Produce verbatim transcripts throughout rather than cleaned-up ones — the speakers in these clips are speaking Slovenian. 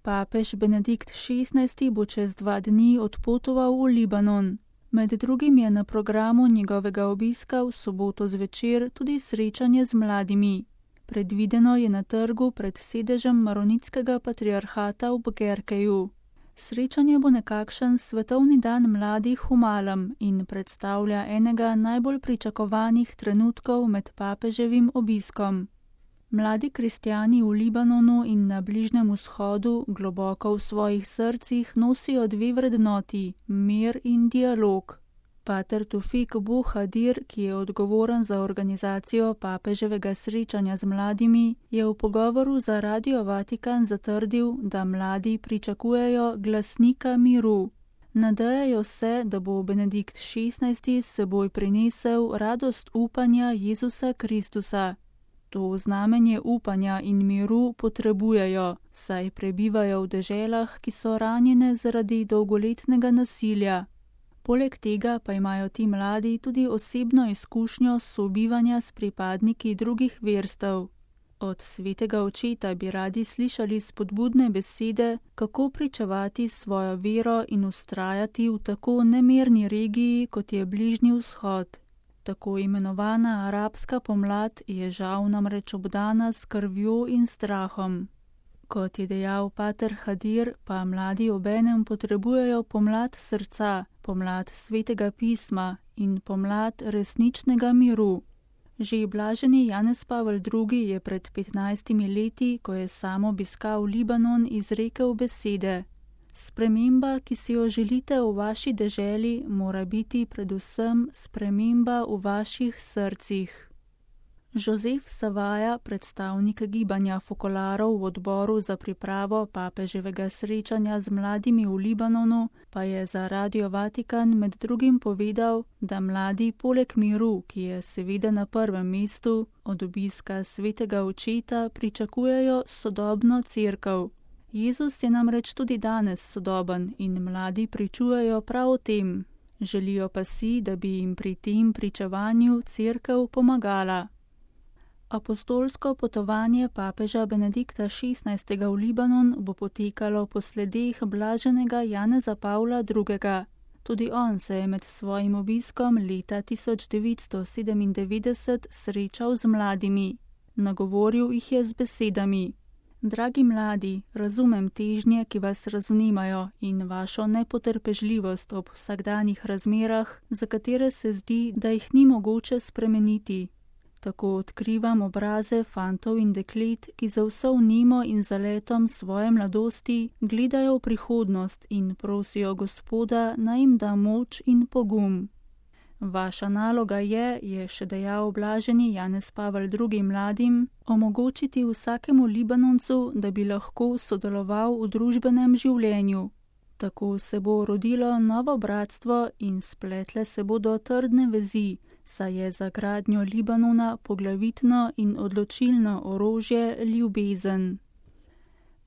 Papež Benedikt šestnajsti bo čez dva dni odpotoval v Libanon. Med drugim je na programu njegovega obiska v soboto zvečer tudi srečanje z mladimi. Predvideno je na trgu pred sedežem maronitskega patriarhata v Bugerkeju. Srečanje bo nekakšen svetovni dan mladih v malem in predstavlja enega najbolj pričakovanih trenutkov med papeževim obiskom. Mladi kristjani v Libanonu in na Bližnjem vzhodu globoko v svojih srcih nosijo dve vrednoti, mir in dialog. Pater Tufik Buhadir, ki je odgovoren za organizacijo papeževega srečanja z mladimi, je v pogovoru za Radio Vatikan zatrdil, da mladi pričakujejo glasnika miru. Nadejajo se, da bo Benedikt šestnajsti s seboj prinesel radost upanja Jezusa Kristusa. To znamenje upanja in miru potrebujejo, saj prebivajo v deželah, ki so ranjene zaradi dolgoletnega nasilja. Poleg tega pa imajo ti mladi tudi osebno izkušnjo sobivanja s pripadniki drugih verstev. Od svetega očeta bi radi slišali spodbudne besede, kako pričevati svojo vero in ustrajati v tako nemirni regiji, kot je Bližnji vzhod. Tako imenovana arabska pomlad je žal namreč obdana s krvjo in strahom. Kot je dejal pater Hadir, pa mladi obenem potrebujejo pomlad srca, pomlad svetega pisma in pomlad resničnega miru. Že blaženi Janez Pavel drugi je pred petnajstimi leti, ko je sam obiskal Libanon, izrekel besede: Sprememba, ki si jo želite v vaši deželi, mora biti predvsem sprememba v vaših srcih. Josef Savaja, predstavnik gibanja Fokolarov v odboru za pripravo papeževega srečanja z mladimi v Libanonu, pa je za Radio Vatikan med drugim povedal, da mladi poleg miru, ki je seveda na prvem mestu, od obiska svetega očeta pričakujejo sodobno cerkev. Jezus je namreč tudi danes sodoben in mladi pričujejo prav o tem. Želijo pa si, da bi jim pri tem pričevanju cerkev pomagala. Apostolsko potovanje papeža Benedikta šestnajstega v Libanon bo potekalo po sledeh blaženega Janeza Pavla drugega. Tudi on se je med svojim obiskom leta tisoč devetsto sedemindevetdeset srečal z mladimi. Nagovoril jih je z besedami: Dragi mladi, razumem težnje, ki vas razunimajo, in vašo nepotrpežljivost ob vsakdanjih razmerah, za katere se zdi, da jih ni mogoče spremeniti. Tako odkrivam obraze fantov in deklet, ki za vso vnemo in zaletom svoje mladosti gledajo v prihodnost in prosijo Gospoda, naj jim da moč in pogum. Vaša naloga je, je še dejal blaženi Janez Pavel drugi mladim, omogočiti vsakemu Libanoncu, da bi lahko sodeloval v družbenem življenju. Tako se bo rodilo novo bratstvo in spletle se bodo trdne vezi, saj je za gradnjo Libanona poglavitno in odločilno orožje ljubezen.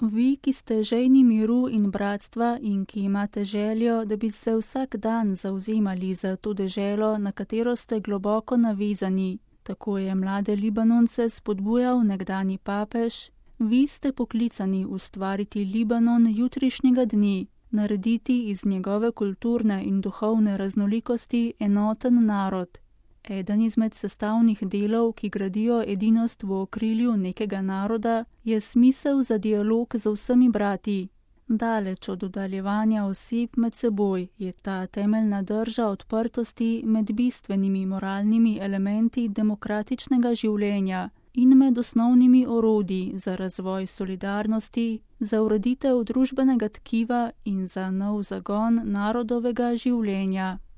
Vi, ki ste žejni miru in bratstva in ki imate željo, da bi se vsak dan zavzemali za to deželo, na katero ste globoko navezani, tako je mlade Libanonce spodbujal nekdani papež, vi ste poklicani ustvariti Libanon jutrišnjega dne, narediti iz njegove kulturne in duhovne raznolikosti enoten narod. Eden izmed sestavnih delov, ki gradijo edinost v okrilju nekega naroda, je smisel za dialog z vsemi brati. Daleč od oddaljevanja oseb med seboj je ta temeljna drža odprtosti med bistvenimi moralnimi elementi demokratičnega življenja in med osnovnimi orodji za razvoj solidarnosti, za ureditev družbenega tkiva in za nov zagon narodovega življenja.